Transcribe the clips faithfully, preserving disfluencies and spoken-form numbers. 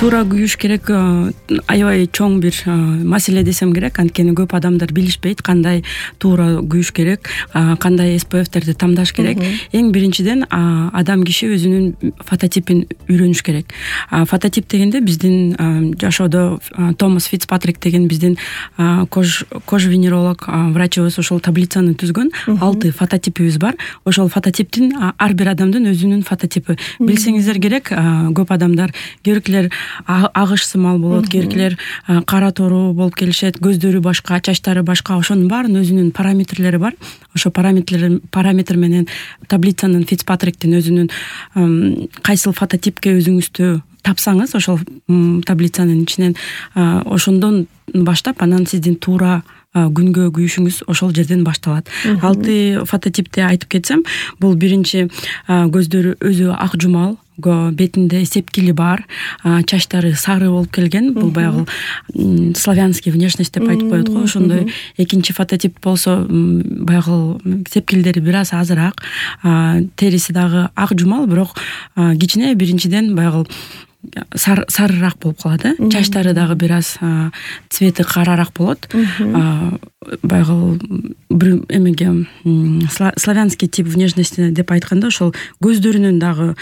туура күйүш керек аябай чоң бир маселе десем керек, анткени көп адамдар билишпейт кандай туура күйүш керек, кандай эс пэ эфтерди тандаш керек. Эң биринчиден адам киши өзүнүн фототипин үйрөнүш керек. Фототип дегенде биздин жашоодо Томас Фицпатрик деген биздин кош кожвенеролог врачыбыз ошол таблицаны түзгөн. Алты фототипибиз бар. Ошол фототиптин ар бир адамдын өзүнүн фототипи. Билсеңиздер керек, көп адамдар кээбиркилер агыш сымал болот, кээбиркилер кара тору болуп келишет, көздөрү башка, чачтары башка, ошонун баарынын өзүнүн параметрлери бар. Ошо параметрлер параметр менен таблицанын Фицпатриктин өзүнүн кайсыл фототипке өзүңүздү тапсаңыз, ошол таблицанын ичинен ошондон баштап анан сиздин туура күнгө күйүшүңүз ошол жерден башталат. Алты фототипти айтып кетсем, бул биринчи көздөрү өзү ак жумал, бетинде сепкили бар, чачтары сары болуп келген. Бул баягы славянский внешность деп айтып коет го. Ошондой. Экинчи фототип болсо баягы сепкилдери бир аз азыраак, териси дагы ак жумал, бирок кичине биринчиден баягы сарыраак болуп калат, э? Чачтары дагы бир аз цвети карараак болот. Баягы бир эмеге славянский тип внешности деп айтканда, ошол көздөрүнүн дагы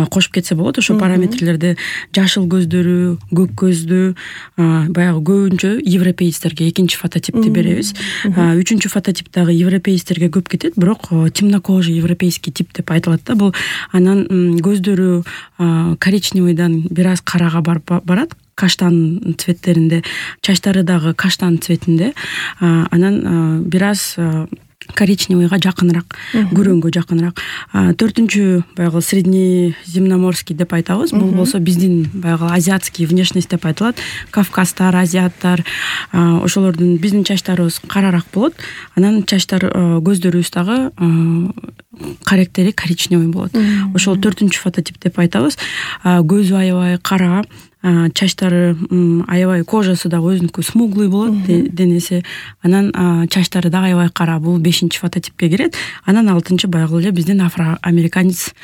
кошуп кетсе болот. Ошол параметрлерди жашыл көздөрү, көк көздүү, баягы көбүнчө европейцтерге экинчи фототипти беребиз. Үчүнчү фототип дагы европейцтерге көп кетет, бирок темнокожий европейский тип деп айтылат да. Бул анан көздөрү коричневыйдан бир аз карага барат, каштан цветтеринде, чачтары дагы каштан цветинде, анан бир аз коричневыйга жакыныраак, күрөңгө жакыныраак. Төртүнчү баягы среднеземноморский деп айтабыз. Бул болсо биздин баягы азиатский внешность деп айтылат. Кавказтар, азиаттар, ошолордун биздин чачтарыбыз карараак болот. Анан чачтар, көздөрүбүз дагы карактери коричневый болот. Ошол төртүнчү фототип деп айтабыз. Көзү аябай кара, чачтары аябай, кожасы дагы өзүнүкү смуглый болот, денеси. Анан чачтары дагы аябай кара. Бул бешинчи фототипке кирет. Анан алтынчы баягы эле биздин афроамериканец.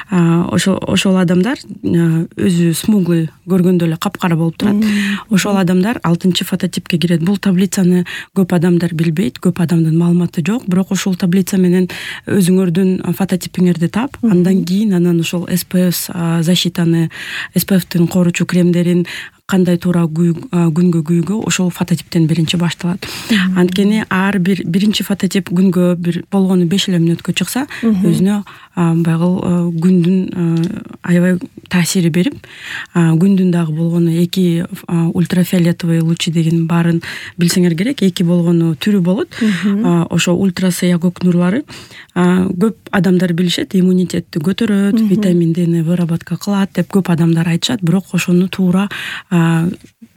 Ошол ошол адамдар өзү смуглый, көргөндө эле капкара болуп турат. Ошол адамдар алтынчы фототипке кирет. Бул таблицаны көп адамдар билбейт, көп адамдын маалыматы жок, бирок ошол таблица менен өзүңөрдүн фототипиңерди тап, андан кийин анан ошол эс пэ эф защитаны, эс пэ эфтин коруучу кремдерин кандай туура күнгө күйүүгө ошол фототиптен биринчи башталат. Анткени ар бир биринчи фототип күнгө бир болгону беш эле мүнөткө чыкса, өзүнө баягы күндүн аябай таасири берип, күндүн дагы болгону эки ультрафиолетовый лучи деген баарын билсеңер керек. Эки болгону түрү болот. Ошо ультрасыя көк нурлары көп адамдар билишет, иммунитетти көтөрөт, витамин Д'ни выработка кылат деп көп адамдар айтышат, бирок ошону туура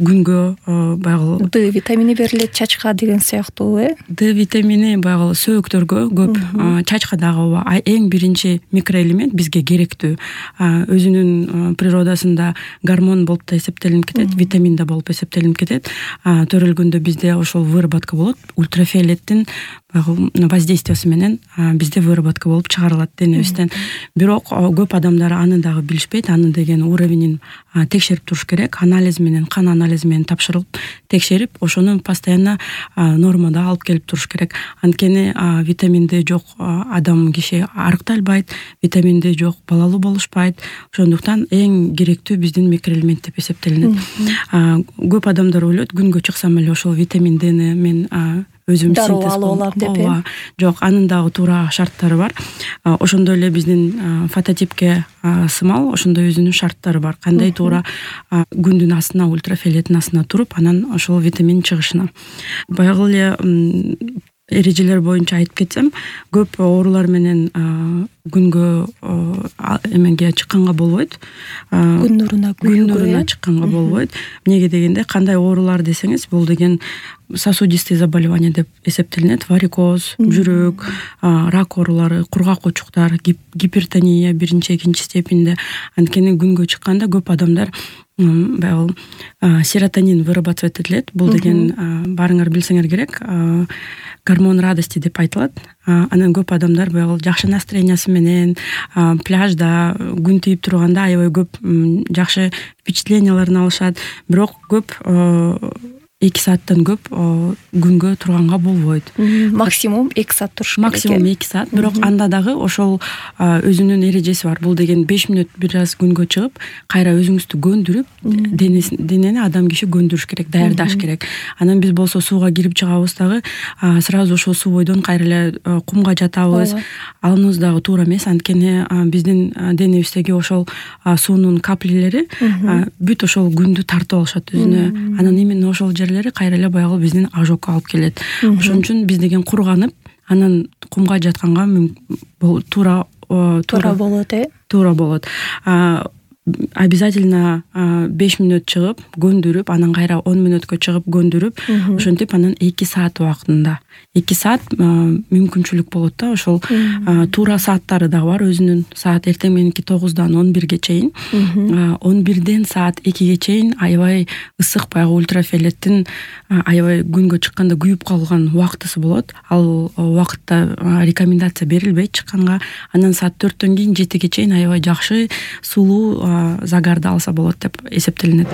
күнгө баягы Д витамини берилет чачка деген сыяктуу, э? Д витамини баягы сөөктөргө көп, чачка дагы эң биринчи микроэлемент бизге керектүү. Өзүнүн природасында гормон болуп да эсептелинип кетет, витамин да болуп эсептелинип кетет. Төрөлгөндө бизде ошол выработка болот. Ультрафиолеттин воздействиясы менен бизде выработка болуп чыгарылат денебизден. Бирок көп адамдар аны дагы билишпейт. Аны деген уровенин текшерип туруш керек. Анализ менен, кан анализи менен тапшырылып, текшерип, ошону постоянно нормада алып келип туруш керек. Анткени витамин Д жок адам киши арыкталбайт, витамин Д жок балалуу болушпайт. Ошондуктан эң керектүү биздин микроэлемент деп эсептелинет. Көп адамдар ойлойт, күнгө чыксам эле ошол витамин Д'ни мен өзүм синтез алам деп. Жок, анын дагы туура шарттары бар. Ошондой эле биздин фототипке сымал, ошондой өзүнүн шарттары бар. Кандай туура күндүн астына, ультрафиолеттин астына туруп, анан ошол витамин чыгышына. Баягы эле эрежелер боюнча айтып кетсем, көп оорулар менен күнгө эмеге чыкканга болбойт. Күн нуруна күн нуруна чыкканга болбойт. Эмнеге дегенде, кандай оорулар десеңиз, бул деген сосудистые заболевания деп эсептелинет. Варикоз, жүрөк, рак оорулары, кургак очуктар, гипертония биринчи, экинчи степенде. Анткени күнгө чыкканда көп адамдар баягы серотонин вырабатывать этилет. Бул деген баарыңар билсеңер керек, гормон радости деп айтылат. анан көп адамдар баягы жакшы настроениясы менен пляжда күн тийип турганда аябай көп жакшы впечатленияларын алышат. Бирок көп эки сааттан көп күнгө турганга болбойт. Максимум эки саат туруш керек. Максимум эки саат. Бирок анда дагы ошол өзүнүн эрежеси бар. Бул деген беш мүнөт бир аз күнгө чыгып, кайра өзүңүздү көндүрүп, денени адам киши көндүрүш керек, даярдаш керек. Анан биз болсо сууга кирип чыгабыз дагы сразу ошол суу бойдон кайра эле кумга жатабыз. Аныбыз дагы туура эмес, анткени биздин денебиздеги ошол суунун каплелери бүт ошол күндү тартып алышат өзүнө. Анан именно ошол кайра эле баягы биздин ожогко алып келет. Ошон үчүн биз деген курганып, анан кумга жатканга туура туура болот, э? Туура болот. Обязательно беш мүнөт чыгып, көндүрүп, анан кайра он мүнөткө чыгып көндүрүп, ошентип анан эки саат убактында. эки саат мүмкүнчүлүк болот да, ошол туура сааттары дагы бар өзүнүн. Саат эртең мененки тогуздан он бирге чейин, он бирден саат экиге чейин аябай ысык, баягы ультрафиолеттин аябай күнгө чыкканда күйүп калган убактысы болот. Ал убакытта рекомендация берилбейт чыкканга. Анан саат төрттөн кийин жетиге чейин аябай жакшы сулуу загарды алса болот деп эсептелинет.